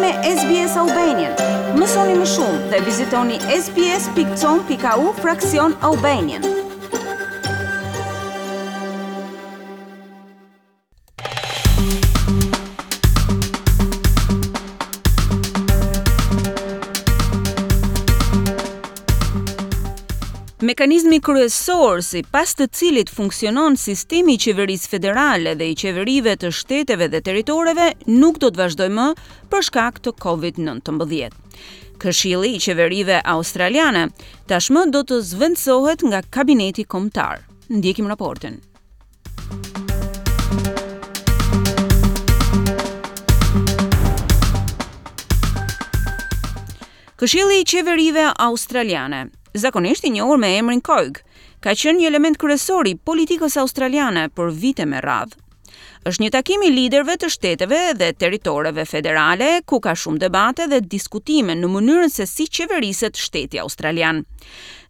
me SBS Albanian. Mësoni më shumë dhe vizitoni sbs.com.au fraksion Albanian. Mekanizmi kryesor sipas të cilit funksionon sistemi i qeverisë federale dhe i qeverive të shteteve dhe territoreve nuk do të vazhdojë më për shkak të COVID-19. Këshilli i qeverive australiane tashmë do të zëvendësohet nga kabineti kombëtar. Ndjekim raportin. Këshilli i Qeverive Australiane, zakonisht i njohur me emrin COAG, ka qenë një element kryesor i politikës australiane për vite me radhë. Është një takim i liderëve të shteteve dhe territoreve federale, ku ka shumë debate dhe diskutime në mënyrën se si qeveriset shteti australian.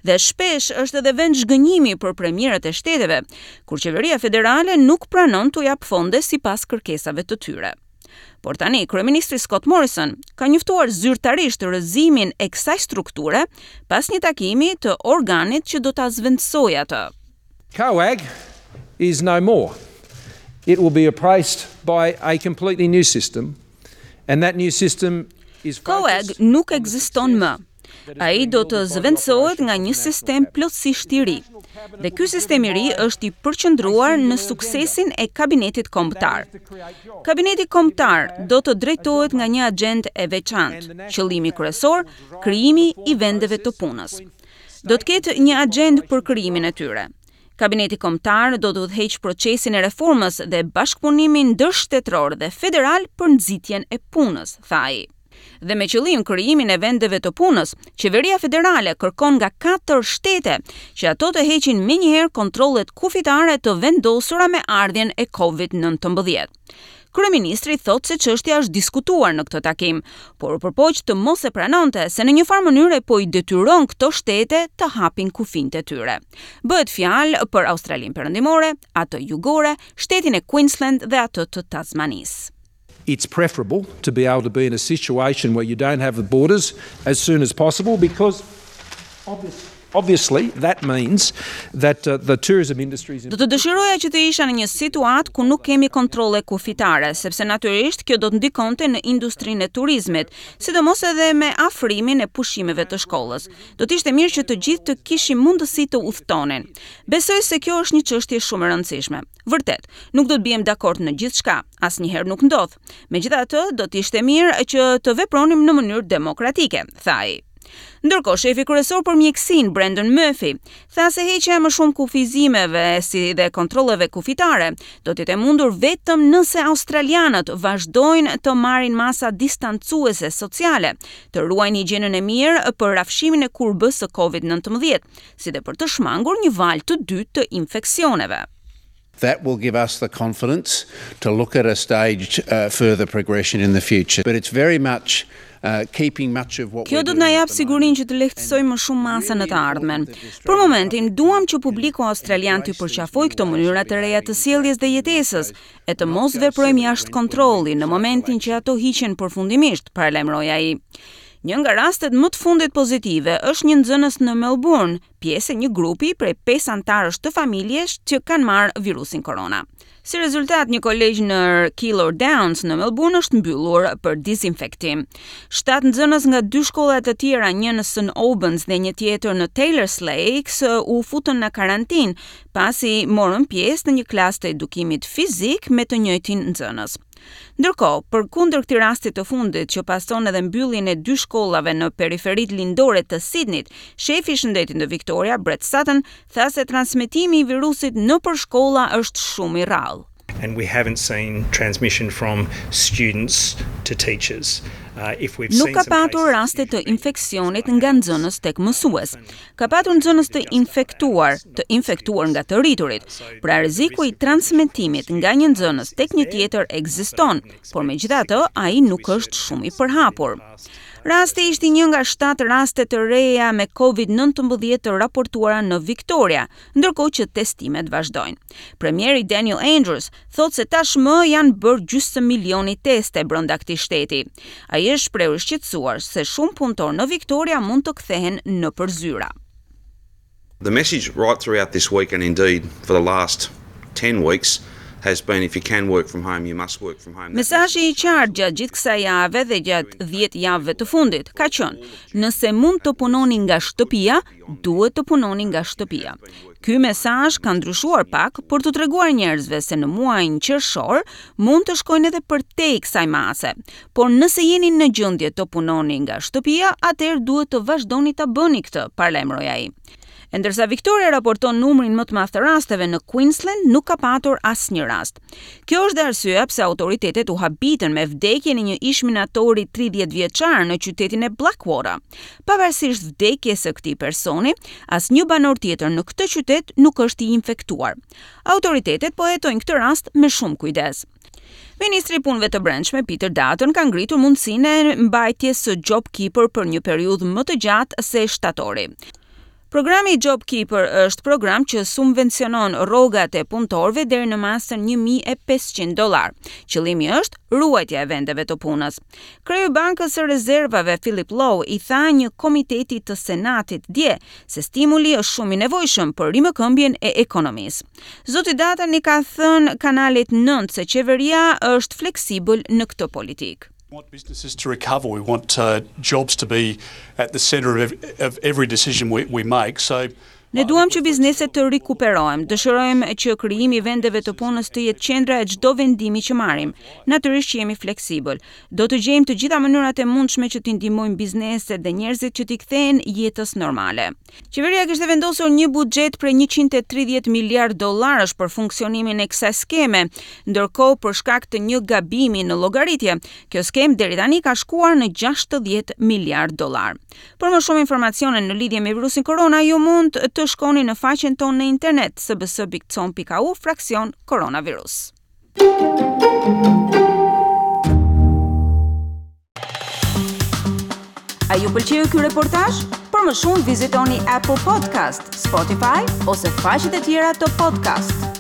Dhe shpesh është edhe vend zhgënjimi për premierët e shteteve, kur qeveria federale nuk pranon t'u japë fonde sipas kërkesave të tyre. Por tani, kryeministri Scott Morrison ka njoftuar zyrtarisht rrëzimin e kësaj strukture pas një takimi të organit që do ta zëvendësojë atë. COAG is no more. It will be replaced by a completely new system and that new system is COAG nuk ekziston më. Ai do të zëvendësohet nga një sistem plotësisht i ri. Dhe ky sistem i ri është i përqendruar në suksesin e kabinetit kombëtar. Kabineti kombëtar do të drejtohet nga një agjendë e veçantë. Qëllimi kryesor, krijimi i vendeve të punës. Do të ketë një agjendë për krijimin e tyre. Kabineti Kombëtar do të udhëheqë procesin e reformës dhe bashkëpunimin ndërshtetëror dhe federal për nxitjen e punës, tha ai. Dhe me qëllim krijimin e vendeve të punës, qeveria federale kërkon nga katër shtete që ato të heqin menjëherë kontrollet kufitare të vendosura me ardhjen e Covid-19. Kryeministri thotë se çështja është diskutuar në këtë takim, por u përpoq të mos e pranonte se në një farë mënyre po i detyron këto shtete të hapin kufinjtë e tyre. Bëhet fjalë për Australinë Perëndimore, atë Jugore, shtetin e Queensland dhe atë të Tasmanisë. It's preferable to be able to be in a situation where you don't have the borders as soon as possible because obviously that means that uh, the tourism industry Do të dëshiroja që të isha në një situatë ku nuk kemi kontrolle kufitare, sepse natyrisht kjo do të ndikonte në industrinë e turizmit, sidomos edhe me afrimin e pushimeve të shkollës. Do të ishte mirë që të gjithë të kishim mundësi të udhëtonin. Besoj se kjo është një çështje shumë e rëndësishme. Vërtet, nuk do të biem dakord në gjithçka, asnjëherë nuk ndodh. Megjithatë, do të ishte mirë që të vepronim në mënyrë demokratike, tha ai. Ndërkohë, shefi kryesor për mjekësinë, Brendan Murphy, tha se heqja e më shumë kufizimeve si dhe kontrolleve kufitare do të jetë e mundur vetëm nëse australianët vazhdojnë të marrin masa distancuese sociale, të ruajnë higjienën e mirë për rrafshimin e kurbës së Covid-19, si dhe për të shmangur një valë të dytë të infeksioneve. That will give us the confidence to look at a staged uh, further progression in the future. But it's very much uh, keeping much of what Kjo do të na japë sigurinë që të lehtësojmë më shumë masa në të ardhmen. Për momentin, duam që publiku australian të përqafojë këto mënyra të reja të sjelljes dhe jetesës, e të mos veprojmë jashtë kontrolli në momentin që ato hiqen përfundimisht, paralajmëroi ai. Një nga rastet më të fundit pozitive është një nxënës në Melbourne, pjesë e një grupi prej 5 anëtarësh të familjes që kanë marrë virusin korona. Si rezultat, një kolegj në Keilor Downs në Melbourne është mbyllur për dizinfektim. 7 nxënës nga dy shkolla të tjera, një në St Albans dhe një tjetër në Taylors Lakes, u futën në karantinë pasi morën pjesë në një klasë të edukimit fizik me të njëjtin nxënës. Ndërkohë, përkundër këtij rasti të fundit që pason edhe mbylljen e dy shkollave në periferitë lindore të Sydneyt, shefi i shëndetit në Victoria, Brett Sutton, tha se transmetimi i virusit nëpër shkolla është shumë i rrallë. And we haven't seen transmission from students to teachers. Uh, if we've Nuk ka patur raste të infeksionit nga nxënës tek mësues. Ka patur nxënës të infektuar, të infektuar nga të rriturit. Pra rreziku i transmetimit nga një nxënës tek një tjetër ekziston, por megjithatë ai nuk është shumë i përhapur. Rasti ishte një nga 7 raste të reja me COVID-19 të raportuara në Victoria, ndërkohë që testimet vazhdojnë. Premieri Daniel Andrews thotë se tashmë janë bërë gjysmë milioni teste brenda këtij shteti. Ai është shprehur i shqetësuar se shumë punëtorë në Victoria mund të kthehen nëpër zyra. The message right throughout this week and indeed for the last 10 weeks has been if you can work from home, you must work from home. Mesazhi i qartë gjatë gjithë kësaj jave dhe gjatë 10 javëve të fundit ka qenë, nëse mund të punoni nga shtëpia, duhet të punoni nga shtëpia. Ky mesazh ka ndryshuar pak për t'u treguar njerëzve se në muajin qershor mund të shkojnë edhe përtej kësaj mase. Por nëse jeni në gjendje të punoni nga shtëpia, atëherë duhet të vazhdoni ta bëni këtë, paralajmëroi ai. E ndërsa Victoria raporton numrin më të madh të rasteve në Queensland, nuk ka patur asnjë rast. Kjo është dhe arsyeja pse autoritetet u habitën me vdekjen e një ish-minatori 30 vjeçar në qytetin e Blackwater. Pavarësisht vdekjes së këtij personi, asnjë banor tjetër në këtë qytet nuk është i infektuar. Autoritetet po hetojnë këtë rast me shumë kujdes. Ministri i Punëve të Brendshme Peter Dutton ka ngritur mundësinë e mbajtjes së JobKeeper për një periudhë më të gjatë se shtatori. Programi JobKeeper është program që subvencionon rrogat e punëtorëve deri në masën 1500 dollar. Qëllimi është ruajtja e vendeve të punës. Kreu i Bankës së Rezervave Philip Lowe i tha një komiteti të Senatit dje se stimuli është shumë i nevojshëm për rimëkëmbjen e ekonomisë. Zoti Dutton i ka thënë kanalit 9 se qeveria është fleksibël në këtë politikë. We want businesses to recover. We want uh, jobs to be at the center of, of every decision we, we make. So Ne duam që bizneset të rikuperohen. Dëshirojmë që krijimi i vendeve të punës të jetë qendra e çdo vendimi që marrim. Natyrisht që jemi fleksibël. Do të gjejmë të gjitha mënyrat e mundshme që t'i ndihmojmë bizneset dhe njerëzit që t'i kthehen jetës normale. Qeveria kishte vendosur një buxhet prej 130 miliard dollarësh për funksionimin e kësaj skeme, ndërkohë për shkak të një gabimi në llogaritje, kjo skemë deri tani ka shkuar në 60 miliard dollar. Për më shumë informacione në lidhje me virusin korona, ju mund të shkoni në faqen tonë në internet sbs.com.au fraksion koronavirus. A ju pëlqeu ky reportazh? Për më shumë vizitoni Apple Podcast, Spotify ose faqet e tjera të podcast.